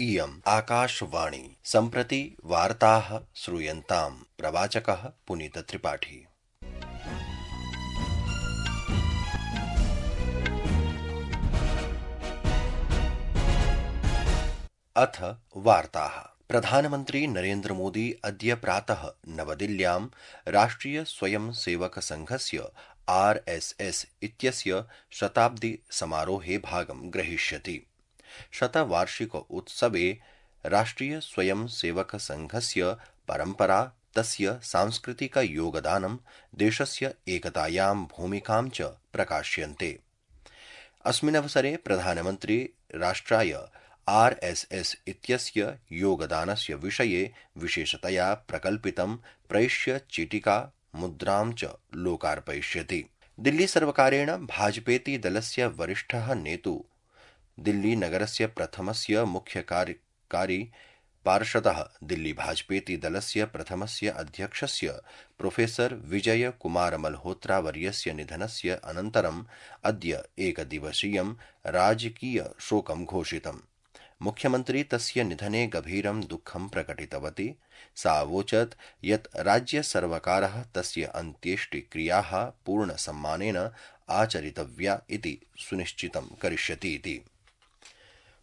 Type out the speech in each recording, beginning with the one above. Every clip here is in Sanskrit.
इयम् आकाशवाणी। सम्प्रति वार्ताः श्रूयन्ताम्। प्रवाचकः पुनीतत्रिपाठी। अथ वार्ताः। प्रधानमन्त्री नरेन्द्र मोदी अद्य प्रातः नवदिल्ल्यां राष्ट्रिय स्वयं सेवक संघस्य RSS इत्यस्य शताब्दि समारोहे भागं ग्रहीष्यति। शतवार्षिक उत्सवे राष्ट्रिय स्वयं सेवक संघस्य परम्परा, तस्य सांस्कृतिक योगदानं, देशस्य एकतायां भूमिकां च प्रकाश्यन्ते। अस्मिन्नवसरे प्रधानमन्त्री राष्ट्राय RSS इत्यस्य योगदानस्य विषये विशेषतया प्रकल्पितं प्रैष्य चीटिका मुद्रां च लोकार्पयिष्यति। दिल्ली सर्वकारेण भाजपेति दलस्य वरिष्ठः नेतु, दिल्ली नगरस्य प्रथमस्य मुख्य कार्यकारी पार्षदः, दिल्ली भाजपेति दलस्य प्रथमस्य अध्यक्षस्य प्रोफेसर विजय कुमार मल्होत्रा वर्यस्य निधनस्य अनन्तरम् अद्य एकदिवसीयं राजकीय शोकं घोषितम्। मुख्यमन्त्री तस्य निधने गभीरं दुःखं प्रकटितवती। सा अवोचत् यत् राज्यसर्वकारः तस्य अन्त्येष्टिक्रियाः पूर्णसम्मानेन आचरितव्या इति सुनिश्चितं करिष्यति इति।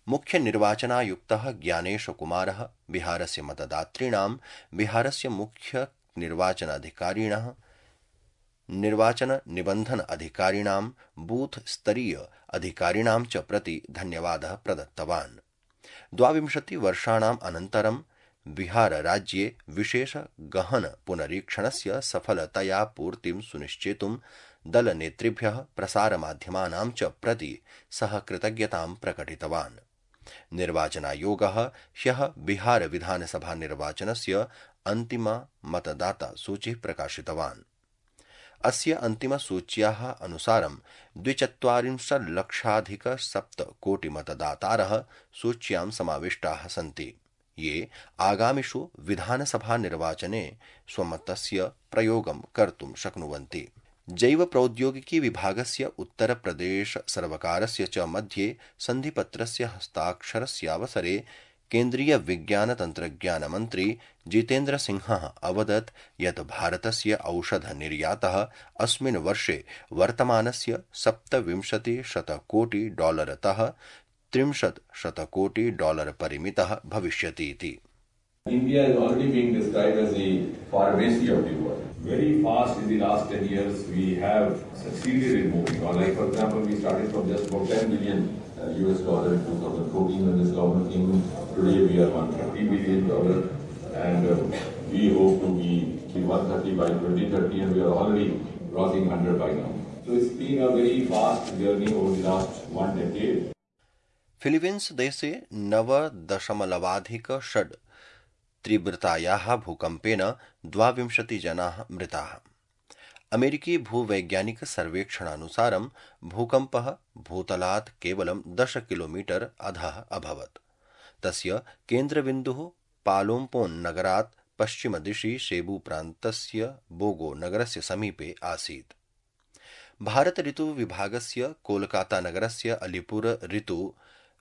मुख्य निर्वाचनायुक्तः ज्ञानेश कुमारः बिहारस्य मतदातॄणां, बिहारस्य मुख्य निर्वाचनाधिकारिणः, निर्वाचन निबन्धन अधिकारिणां, बूथ स्तरीय अधिकारिणां च प्रति धन्यवादः प्रदत्तवान्। 22 वर्षाणाम् अनन्तरं बिहार राज्ये विशेष गहन पुनरीक्षणस्य सफलतया पूर्तिं सुनिश्चेतुं दलनेतृभ्यः, प्रसारमाध्यमानां च प्रति सः कृतज्ञतां प्रकटितवान्। निर्वाचनायोगः ह्यः बिहार विधानसभा निर्वाचनस्य अन्तिमा मतदाता सूची प्रकाशितवान्। अस्य अन्तिमसूच्याः अनुसारं 42,00,000+ कोटिमतदातारः सूच्यां समाविष्टाः सन्ति, ये आगामिषु विधानसभा निर्वाचने स्वमतस्य प्रयोगं कर्तुं शक्नुवन्ति। जैव प्रौद्योगिकी विभागस्य उत्तरप्रदेश सर्वकारस्य च मध्ये सन्धिपत्रस्य हस्ताक्षरस्यावसरे केन्द्रीय विज्ञान तन्त्रज्ञान मन्त्री जितेन्द्र सिंहः अवदत् यत् भारतस्य औषध निर्यातः अस्मिन् वर्षे वर्तमानस्य $27,000,00,000तः $30,000,00,000 परिमितः भविष्यति इति। India is already being described as the pharmacy of the world. Very fast in the last 10 years, we have succeeded in moving on. Like, for example, we started from just about $10 billion US dollar in 2014 when this government came in. Today we are $130 billion, and we hope to be 130 by 2030, and we are already crossing 100 by now. So it's been a very fast journey over the last 1 decade. Philippines देशे 9.6 तीव्रतायाः भूकम्पेन 22 जनाः मृताः। अमेरिकी भूवैज्ञानिक सर्वेक्षणानुसारं भूकम्पः भूतलात् केवलं 10 किलोमीटर अधः अभवत्। तस्य केन्द्रबिन्दुः पालोम्पोन् नगरात् पश्चिमदिशि शेबू प्रान्तस्य बोगो नगरस्य समीपे आसीत्। भारत ऋतु विभागस्य कोलकाता नगरस्य अलीपुर ऋतु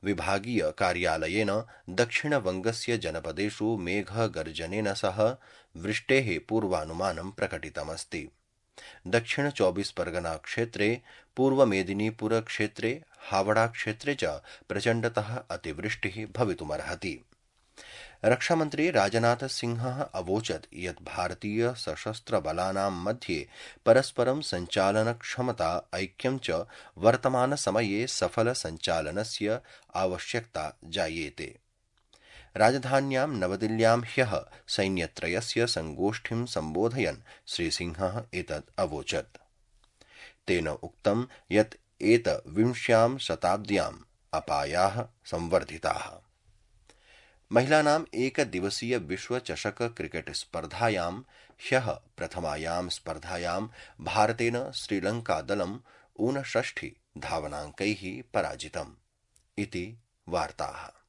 विभागीय कार्यालयेन दक्षिणवङ्गस्य जनपदेषु मेघगर्जनेन सह वृष्टेः पूर्वानुमानं प्रकटितमस्ति। दक्षिण 24 परगना क्षेत्रे, पूर्व मेदिनीपुर क्षेत्रे, हावड़ा क्षेत्रे च प्रचण्डतः अतिवृष्टिः भवितुमर्हति। रक्षामन्त्री राजनाथ सिंहः अवोचत् यत् भारतीय सशस्त्र बलानां मध्ये परस्परं सञ्चालनक्षमता, ऐक्यं च वर्तमानसमये सफल सञ्चालनस्य आवश्यकता जायेते। राजधान्यां नवदिल्ल्यां ह्यः सैन्यत्रयस्य संगोष्ठीं सम्बोधयन् श्रीसिंहः एतत् अवोचत्। तेन उक्तं यत् एतविंश्यां शताब्द्याम् अपायाः संवर्धिताः। महिलानाम् एकदिवसीय विश्वचषक क्रिकेट स्पर्धायां ह्यः प्रथमायां स्पर्धायां भारतेन श्रीलङ्कादलं 59 धावनाङ्कैः पराजितम् इति वार्ताः।